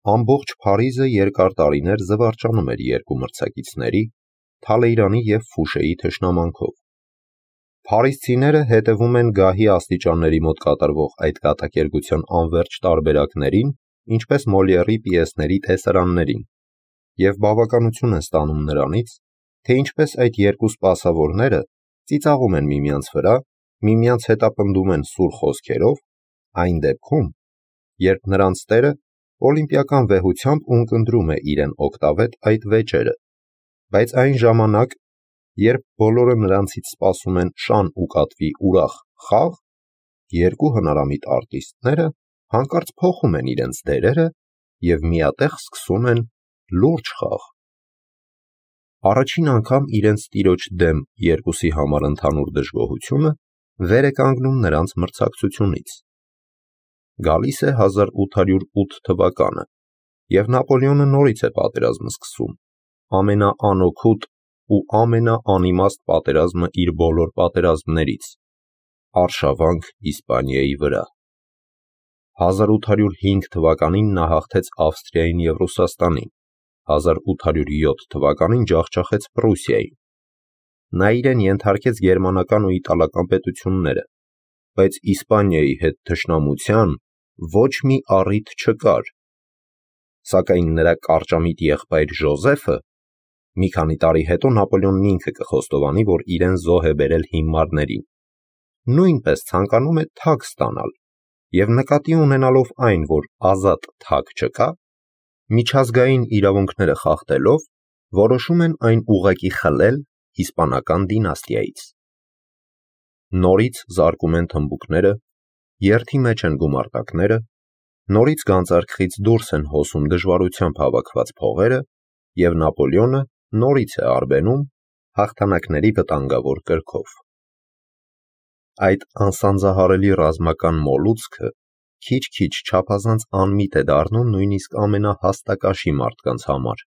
Ամբողջ Փարիզը երկար տարիներ զվարճանում էր երկու մրցակիցների՝ Թալեյրանի և Ֆուշեի թշնամանքով։ Փարիզցիները հետևում են գահի աստիճանների մոտ կատարվող այդ կատակերգության անվերջ տարբերակներին, ինչպես Մոլիերի պիեսների տեսարաններին, և բավականություն են ստանում նրանից, թե ինչպես այդ երկու սպասավորները ծիծաղում են միմյանց վրա, միմյանց հետապնդում են սուր խոսքերով, այն դեպքում, երբ նրանց տերը օլիմպիական վեհությամբ ունկնդրում է իրեն օգտավետ այդ վեճերը, բայց այն ժամանակ, երբ բոլորը նրանցից սպասում են շան ու կատվի ուրախ խաղ, երկու հնարամիտ արտիստները հանկարծ փոխում են իրենց դերերը և միատեղ սկսում են լուրջ խաղ։ Առաջին անգամ իրենց տիրոջ դեմ երկուսի համար ընդհանուր դժգոհությունը վեր է կանգնում նրանց մրցակցությունից։ Գալիս է 1808 թվականը, և Նապոլեոնը նորից է պատերազմը սկսում, ամենաանօգուտ ու ամենաանիմաստ պատերազմը իր բոլոր պատերազմներից, արշավանք Իսպանիայի վրա։ 1805 թվականին նա հաղթեց Ավստրիային և Ռուսաստանին, 1807 թվականին ջախջախեց Պրուսիային։ Նա իրեն ենթարկեց գերմանական ու իտալական պետությունները, բայց Իսպանիայի հետ թշնամության ոչ մի առիթ չկար։ Սակայն նրա կարճամիտ եղբայր Ժոզեֆը մի քանի տարի հետո Նապոլեոնն ինքը կխոստովանի, որ իրեն զոհ է բերել հիմարներին, նույնպես ցանկանում է թագ ստանալ և նկատի ունենալով այն, որ ազատ թագ չկա, միջազգային իրավունքները խախտելով, որոշում են այն ուղղակի խլել իսպանական դինաստիայից։ Նորից զարկում են թմբուկները, երթի մեջ են գումարտակները, նորից գանձարքից դուրս են հոսում դժվարությամբ հավաքված փողերը, և Նապոլեոնը նորից է արբենում հաղթանակների վտանգավոր կրքով։ Այդ անսանձահարելի ռազմական մոլուցքը քիչ-քիչ չափազանց անմիտ է դառնում նույնիսկ ամենահաստակաշի մարդկանց համար,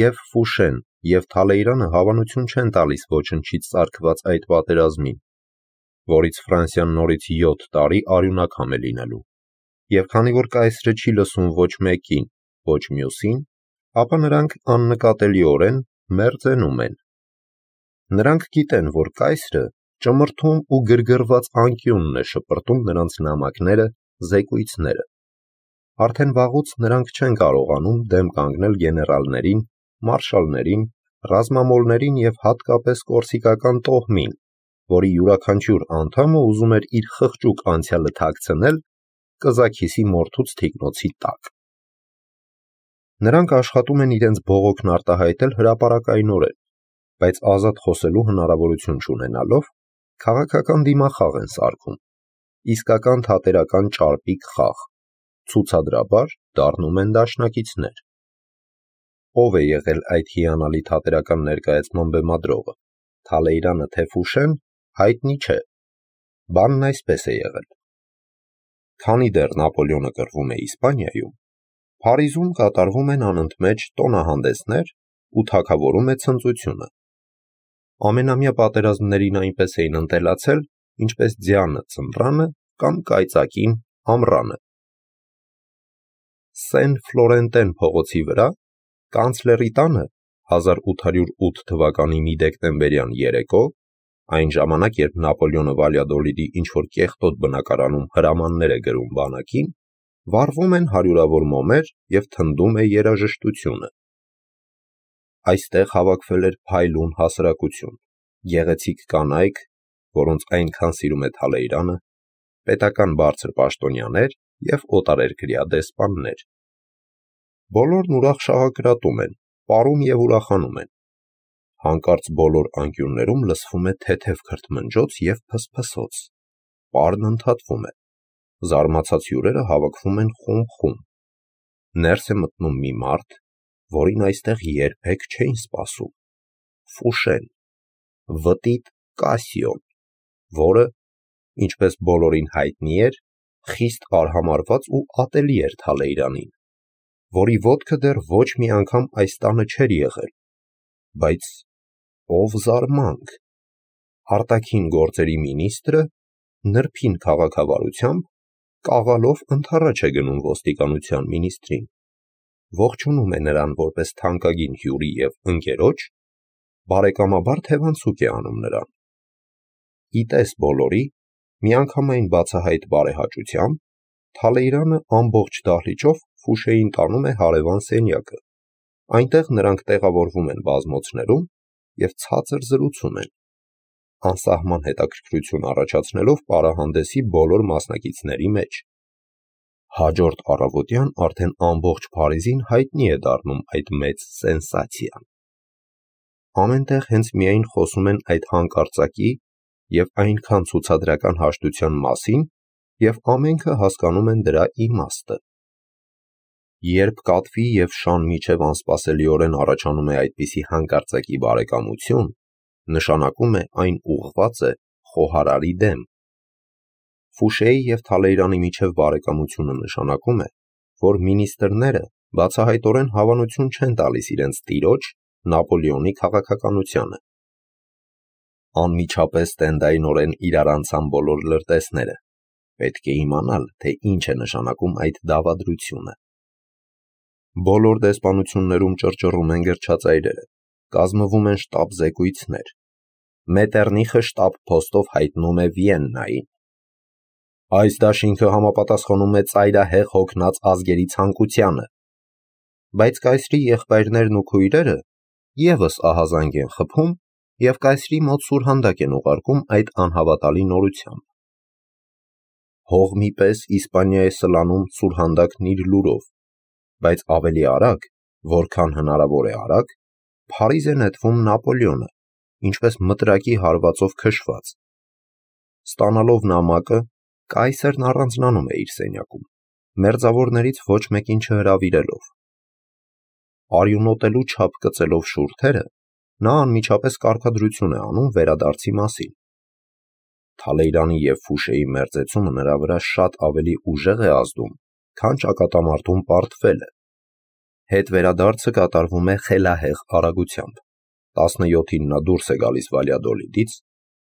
և Ֆուշեն և Թալեյրանը հավանություն չեն տալիս ոչնչից ծագված այդ պատերազմին, որից Ֆրանսիան նորից 7 տարի արյունակամ է լինելու, և քանի որ կայսրը չի լսում ոչ մեկին, ոչ մյուսին, ապա նրանք աննկատելիորեն մերձենում են։ Նրանք գիտեն, որ կայսրը ճմրթում ու գրգռված անկյունն է շպրտում նրանց նամակները, զեկույցները։ Արդեն վաղուց նրանք չեն կարողանում դեմ կանգնել գեներալներին, մարշալներին, ռազմամոլներին և հատկապես կորսիկական տոհմին, որի յուրաքանչյուր անդամը ուզում էր իր խղճուկ անցյալը թաքցնել կզաքիսի մորթուց թիկնոցի տակ։ Նրանք աշխատում են իրենց բողոքն արտահայտել հրապարակայնորեն, բայց ազատ խոսելու հնարավորություն չունենալով, քաղաքական դիմախաղ են սարքում, իսկական թատերական ճարպիկ խաղ, ցուցադրաբար դառնում են դաշնակիցներ։ Ո՞վ է եղել այդ հիանալի թատերական ներկայացման բեմադրողը, Թալեյրանը թե Ֆուշեն, հայտնի չէ։ Բանն այսպես է եղել. Քանի դեռ Նապոլեոնը կռվում է Իսպանիայում, Փարիզում կատարվում են անընդմեջ տոնահանդեսներ ու թագավորում է ցնծությունը։ Ամենամյա պատերազմներին այնպես էին ընտելացել, ինչպես ձյանը ձմռանը կամ կայծակին ամռանը։ Սեն Ֆլորենտեն փողոցի վրա կանցլերի տանը 1808 թվականի մի դեկտեմբերյան երեկո, այն ժամանակ, երբ Նապոլեոնը Վալյադոլիդի ինչ-որ կեղտոտ բնակարանում հրամաններ է գրում բանակին, վառվում են հարյուրավոր մոմեր և թնդում է երաժշտությունը։ Այստեղ հավաքվել էր փայլուն հասարակություն, գեղեցիկ կանայք, որոնց այնքան սիրում է Թալեյրանը, պետական բարձր պաշտոնյաներ և օտարերկրյա դեսպաններ։ Բոլորն ուրախ շաղակրատում են, պարում և ուրախանում են։ Հանկարծ բոլոր անկյուններում լսվում է թեթև քրթմնջոց և փսփսոց։ Պարն ընդհատվում է։ Զարմացած հյուրերը հավաքվում են խումբ-խումբ։ Ներս է մտնում մի մարդ, որին այստեղ երբեք չէին սպասում։ Ֆուշեն, վտիտ Կասիոն, որը, ինչպես բոլորին հայտնի էր, խիստ արհամարհված ու ատելի էր Թալեյրանին, որի ոտքը դեռ ոչ մի անգամ այս տանը չէր եղել, բայց ով զարմանք, արտաքին գործերի մինիստրը նրբին քաղաքավարությամբ կաղալով ընդառաջ է գնում ոստիկանության մինիստրին։ ողջունում է նրան որպես թանկագին հյուրի և ընկերոջ, բարեկամաբար թևանցուկ է անում նրան։ Ի տես բոլորի, միանգամայն բացահայտ բարեհաճությամբ, Թալեյրանը ամբողջ դահլիճով Ֆուշեին տանում է հարևան սենյակը, այնտեղ նրանք տեղավորվում են բազմոցներում և ցածր զրուցում են, անսահման հետաքրքրություն առաջացնելով պարահանդեսի բոլոր մասնակիցների մեջ։ Հաջորդ առավոտյան արդեն ամբողջ Փարիզին հայտնի է դառնում այդ մեծ սենսացիան։ Ամեն տեղ հենց միայն խոսում են այդ հանկարծակի և այնքան ցուցադրական հաշտության մասին, և ամենքը հասկանում են դրա իմաստը։ Երբ կատվի և շան միջև անսպասելիորեն առաջանում է այդպիսի հանկարծակի բարեկամություն, նշանակում է այն ուղղված է խոհարարի դեմ։ Ֆուշեի և Թալեյրանի միջև բարեկամությունը նշանակում է, որ մինիստրները բացահայտորեն հավանություն չեն տալիս իրենց տիրոջ Նապոլեոնի քաղաքականությանը։ Անմիջապես տենդայնորեն իրարանցան բոլոր լրտեսները, պետք է իմանալ, թե ինչ է նշանակում այդ դավադրությունը։ Բոլոր դեսպանություններում ճռճռում են գրչածայրերը, կազմվում են շտաբ զեկույցներ։ Մետեռնիխը շտաբ փոստով հայտնում է Վիեննային։ Այս դաշինքը համապատասխանում է ծայրահեղ հոգնած ազգերի ցանկությանը։ Բայց կայսրի եղբայրներն ու քույրերը ևս ահազանգ են խփում և կայսրի մոտ սուրհանդակ են ուղարկում այդ անհավատալի նորությամբ։ Հողմի պես Իսպանիա է սլանում սուրհանդակն իր լուրով, բայց ավելի արագ, որքան հնարավոր է արագ, Փարիզ է նետվում Նապոլեոնը, ինչպես մտրակի հարվածով քշված։ Ստանալով նամակը, կայսրն առանձնանում է իր սենյակում, մերձավորներից ոչ մեկին չհրավիրելով։ Արյունոտելու չափ կծելով շուրթերը, նա անմիջապես կարգադրություն է անում վերադարձի մասին։ Թալեյրանի և Ֆուշեի մերձեցումը նրա վրա շատ ավելի ուժեղ է ազդում, քան ճակատամարտում պարտվելը։ Հետվերադարձը կատարվում է խելահեղ արագությամբ։ 17-ին նա դուրս է գալիս Վալյադոլիդից,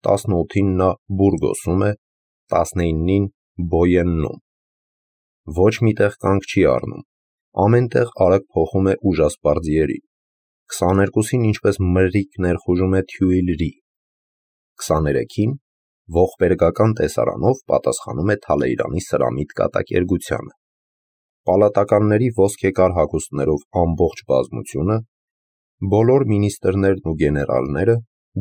18-ին նա Բուրգոսում է, 19-ին Բոյեննում։ Ոչ մի տեղ կանգ չի առնում, ամեն տեղ արագ փոխում է ուժասպառ ձիերին։ 22-ին ինչպես մրրիկ ներխուժում է Թյուիլրի։ 23-ին ողբերգական տեսարանով պատասխանում է Թալեյրանի սրամիտ կատակերգությանը։ Պալատականների ոսկեկար հագուստներով ամբողջ բազմությունը, բոլոր մինիստրներն ու գեներալները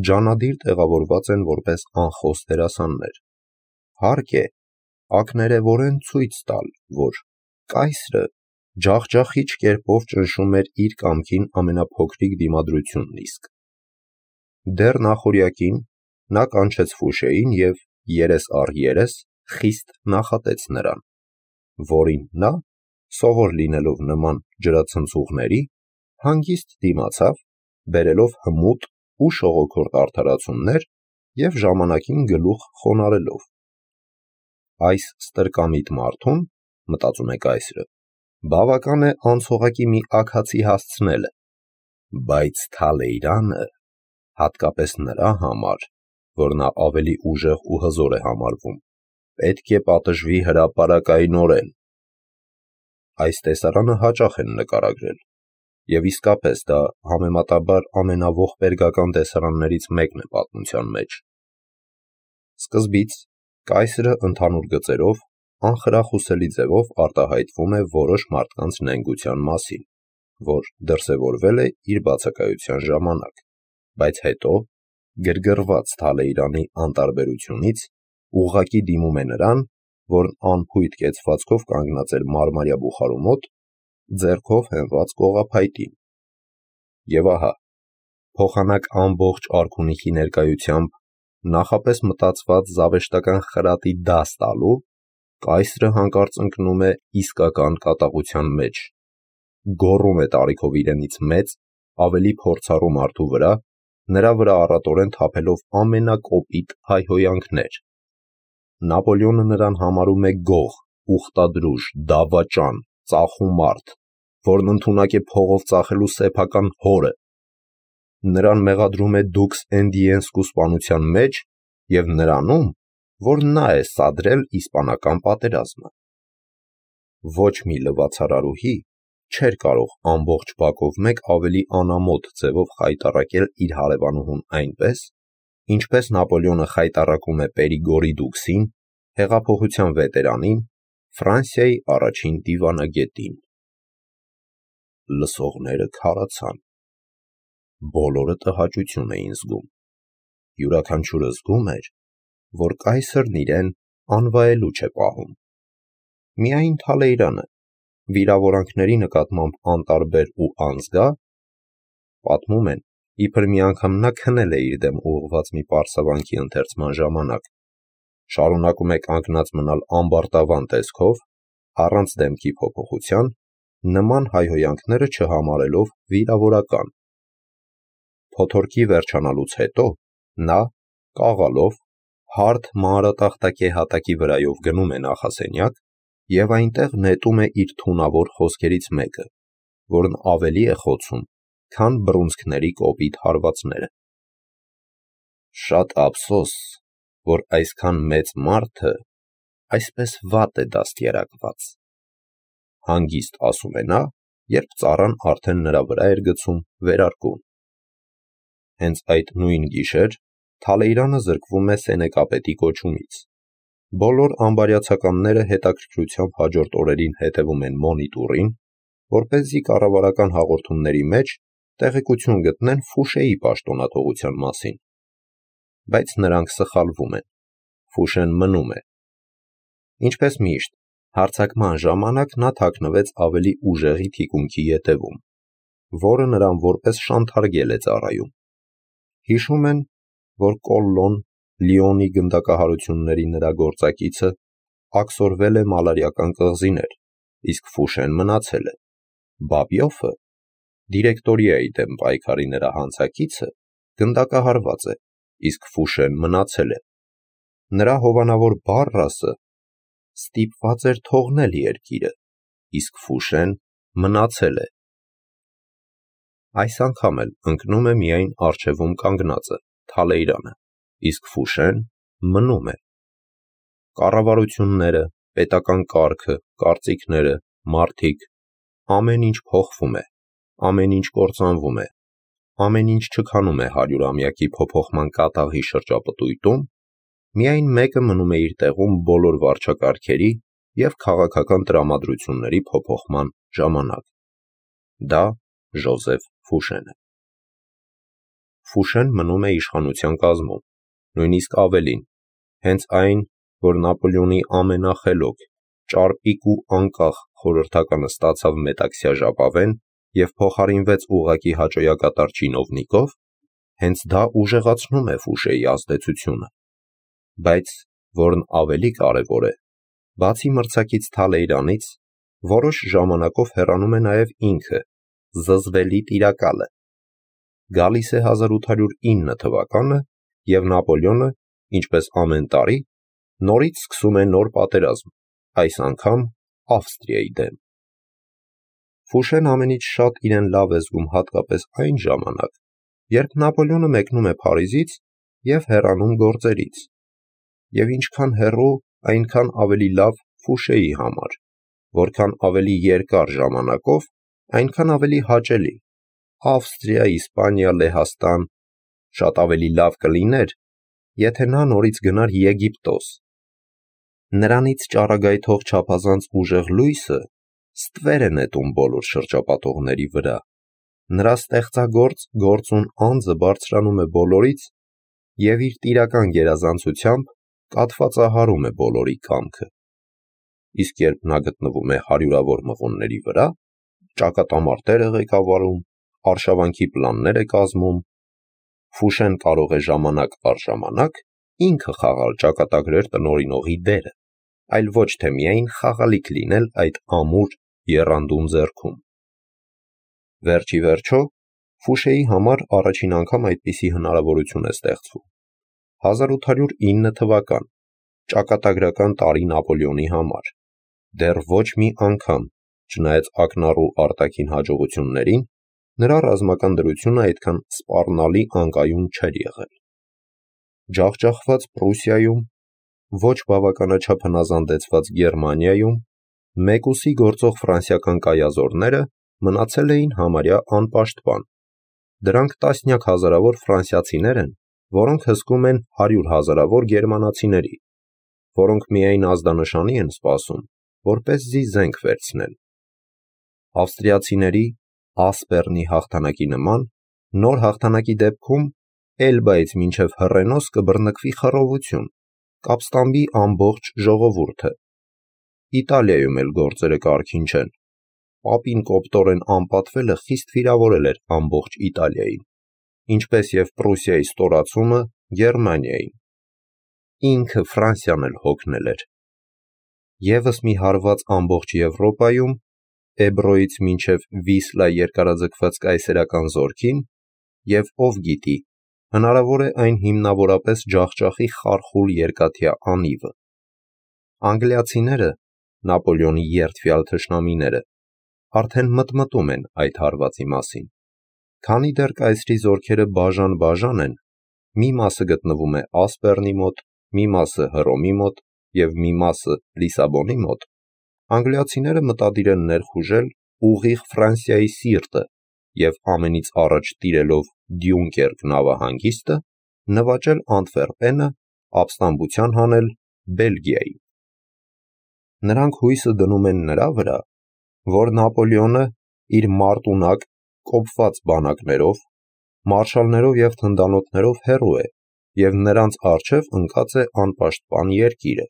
ջանադիր տեղավորված են որպես անխոս դերասաններ։ Հարկ է, ակներևորեն ցույց տալ, որ կայսրը ջախջախիչ կերպով ճնշում էր իր կամքին ամենափոքրիկ դիմադրությունն իսկ։ Դեռ նախօրյակին նա կանչեց Ֆուշեին և երես առ երես խիստ նախատեց նրան, որին նա, սովոր լինելով նման ջրացնցուղների, հանգիստ դիմացավ, բերելով հմուտ ու շողոքորթ արդարացումներ և ժամանակին գլուխ խոնարհելով։ Այս ստրկամիտ մարդուն, մտածում է կայսրը, բավական է անցողակի մի աքացի հասցնելը, բայց Թալեյրանը, հատկապես նրա համար, որ նա ավելի ուժեղ ու հզոր է համարվում, պետք է պատժվի հրապարակայնորեն։ Այս տեսարանը հաճախ են նկարագրել, և իսկապես դա համեմատաբար ամենաողբերգական տեսարաններից մեկն է պատմության մեջ։ Սկզբից կայսրը ընդհանուր գծերով անխրախուսելի ձևով արտահայտվում է որոշ մարդկանց նենգության մասին, որ դրսևորվել է իր բացակայության ժամանակ, բայց հետո, գրգռված Թալեյրանի անտարբերությունից, ուղղակի դիմում է նրան, որն անփույթ կեցվածքով կանգնած էր մարմարյա բուխարու մոտ, ձեռքով հենված կողափայտին։ Եվ ահա, փոխանակ ամբողջ արքունիքի ներկայությամբ, նախապես մտածված զավեշտական խրատի դաս տալու, կայսրը հանկարծ ընկնում է իսկական կատաղության մեջ, գոռում է տարիքով իրենից մեծ, ավելի փորձառու մարդու վրա, նրա վրա առատորեն թափելով ամենակոպիտ հայհոյանքներ։ Նապոլեոնը նրան համարում է գող, ուխտադրուժ, դավաճան, ծախու մարդ, որն ընդունակ է փողով ծախելու սեփական հորը։ Նրան մեղադրում է դուքս Էնդիենսկու սպանության մեջ և նրանում, որ նա է սադրել իսպանական պատերազմը։ Ոչ մի լվացարարուհի, չէր կարող ամբողջ բակով մեկ ավելի անամոթ ձևով խայտառակել իր հարևանուհուն այնպես, ինչպես Նապոլեոնը խայտառակում է Պերիգորի դուքսին, հեղափոխության վետերանին, Ֆրանսիայի առաջին դիվանագետին։ Լսողները քարացան։ Բոլորը տհաճություն էին զգում։ Յուրաքանչյուրը զգում էր, որ կայսրն իրեն անվայելուչ է պահում։ Միայն Թալեյրանը, վիրավորանքների նկատմամբ անտարբեր ու անզգա, պատմում են, իբր մի անգամ նա քնել է իր դեմ ուղղված մի պարսավանքի ընթերցման ժամանակ, շարունակում է կանգնած մնալ ամբարտավան տեսքով, առանց դեմքի փոփոխության, նման հայհոյանքները չհամարելով վիրավորական։ Փոթորկի վերջանալուց հետո նա, կաղալով, հարթ մանրատախտակե հատակի վրայով գնում է նախասենյակ և այնտեղ նետում է իր թունավոր խոսքերից մեկը, որն ավելի է խոցում, քան բռունցքների կոպիտ հարվածները։ Շատ ափսոս, որ այսքան մեծ մարդը այսպես վատ է դաստիարակված, հանգիստ ասում է նա, երբ ծառան արդեն նրա վրա էր գցում վերարկուն։ Հենց այդ նույն գիշեր Թալեյրանը զրկվում է սենեկապետի կոչումից։ Բոլոր ամբարյացականները հետաքրքրությամբ հաջորդ օրերին հետևում են մոնիտուրին, որպեսզի կառավարական հաղորդումների մեջ տեղեկություն գտնեն Ֆուշեի պաշտոնաթողության մասին։ Բայց նրանք սխալվում են։ Ֆուշեն մնում է։ Ինչպես միշտ, հարձակման ժամանակ նա թաքնվեց ավելի ուժեղի թիկունքի ետևում, որը նրան որպես շանթարգել է ծառայում։ Հիշում են, որ Կոլլոն, Լիոնի գնդակահարությունների նրա գործակիցը, աքսորվել է մալարիական կղզիներ, իսկ Ֆուշեն մնացել է։ Բաբյոֆը, դիրեկտորիայի դեմ պայքարի նրա հանցակիցը, գնդակահարված է, իսկ Ֆուշեն մնացել է։ Նրա հովանավոր Բարրասը ստիպված էր թողնել երկիրը, իսկ Ֆուշեն մնացել է։ Այս անգամ էլ ընկնում է միայն առջևում կանգնածը, Թալեյրանը, իսկ Ֆուշեն մնում է։ Կառավարությունները, պետական կարգը, կարծիքները, մարդիկ, ամեն ինչ փոխվում է, ամեն ինչ կործանվում է, ամեն ինչ չքանում է 100-ամյակի փոփոխման կատաղի շրջապտույտում, միայն մեկը մնում է իր տեղում բոլոր վարչակարգերի և քաղաքական տրամադրությունների փոփոխման ժամանակ։ Դա Ժոզեֆ Ֆուշեն է։ Ֆուշեն մնում է իշխանության կազմում, նույնիսկ ավելին, հենց այն, որ Նապոլեոնի ամենախելոք, ճարպիկ ու անկախ խորհրդականը ստացավ մետաքսյա ժապավեն և փոխարինվեց ուղղակի հաճոյակատար չինովնիկով, հենց դա ուժեղացնում է Ֆուշեի ազդեցությունը։ Բայց, որն ավելի կարևոր է, բացի մրցակից Թալեյրանից, որոշ ժամանակով հեռանում է նաև ինքը, զզվելի տիրակալը։ Գալիս է 1809 թվականը, և Նապոլեոնը, ինչպես ամեն տարի, նորից սկսում է նոր պատերազմ, այս անգամ Ավստրիայի դեմ։ Ֆուշեն ամենից շատ իրեն լավ է զգում հատկապես այն ժամանակ, երբ Նապոլեոնը մեկնում է Փարիզից և հեռանում գործերից, և ինչքան հեռու, այնքան ավելի լավ Ֆուշեի համար, որքան ավելի երկար ժամանակով, այնքան ավելի հաճելի։ Ավստրիա, Իսպանիա, Լեհաստան, շատ ավելի լավ կլիներ, եթե նա նորից գնար Եգիպտոս։ Նրանից ճառագայթող չափազանց ուժեղ լույսը ստվեր է նետում բոլոր շրջապատողների վրա, նրա ստեղծագործ գործուն անձը բարձրանում է բոլորից և իր տիրական գերազանցությամբ կաթվածահարում է բոլորի կամքը։ Իսկ երբ նա գտնվում է հարյուրավոր մղոնների վրա, ճակատամարտեր է ղեկավարում, արշավանքի պլաններ է կազմում, Ֆուշեն կարող է ժամանակ առ ժամանակ ինքը խաղալ ճակատագրեր տնօրինողի դերը, այլ ոչ թե միայն խաղալիք լինել այդ ամուր եռանդուն ձեռքում։ Վերջ ի վերջո, Ֆուշեի համար առաջին անգամ այդպիսի հնարավորություն է ստեղծվում։ 1809 թվական, ճակատագրական տարի Նապոլեոնի համար, դեռ ոչ մի անգամ, չնայած ակնառու արտաքին հաջողություններին, նրա ռազմական դրությունը այդքան սպառնալի անկայուն չէր եղել։ Ջախջախված Պրուսիայում, ոչ բավականաչափ հնազանդեցված Գերմանիայում, մեկուսի գործող ֆրանսիական կայազորները մնացել էին համարյա անպաշտպան։ Դրանք տասնյակ հազարավոր ֆրանսիացիներ են, որոնք հսկում են 100 հազարավոր գերմանացիների, որոնք միայն ազդանշանի են սպասում, որպեսզի զենք վերցնել։ Ավստրիացիների Ասպերնի հաղթանակի նման, նոր հաղթանակի դեպքում Էլբայից մինչև Հռենոս կբռնկվի խռովություն, կապստամբի ամբողջ ժողովուրդը։ Իտալիայում էլ գործերը կարգին չեն։ Պապին կոպտորեն անպատվելը խիստ վիրավորել էր ամբողջ Իտալիային, ինչպես և Պրուսիայի ստորացումը Գերմանիային։ Ինքը Ֆրանսիան էլ հոգնել էր։ Եվս մի հարված ամբողջ Եվրոպայում, Էբրոյից մինչև Վիսլա երկարաձգված կայսերական զորքին, և ով գիտի, հնարավոր է այն հիմնավորապես ջախջախի խարխուլ երկաթյա անիվը։ Անգլիացիները, Նապոլեոնի երդվյալ թշնամիները, արդեն մտմտում են այդ հարվածի մասին։ Քանի դեռ կայսրի զորքերը բաժան-բաժան են, մի մասը գտնվում է Ասպերնի մոտ, մի մասը Հռոմի մոտ և մի մասը Լիսաբոնի մոտ, անգլիացիները մտադիր են ներխուժել ուղիղ Ֆրանսիայի սիրտը և ամենից առաջ տիրելով Դյունկերկ նավահանգիստը, նվաճել Անտվերպենը, ապստամբության հանել Բելգիայի։ Նրանք հույսը դնում են նրա վրա, որ Նապոլեոնը իր մարտունակ, կոփված բանակներով, մարշալներով և թնդանոթներով հեռու է և նրանց առջև ընկած է անպաշտպան երկիրը։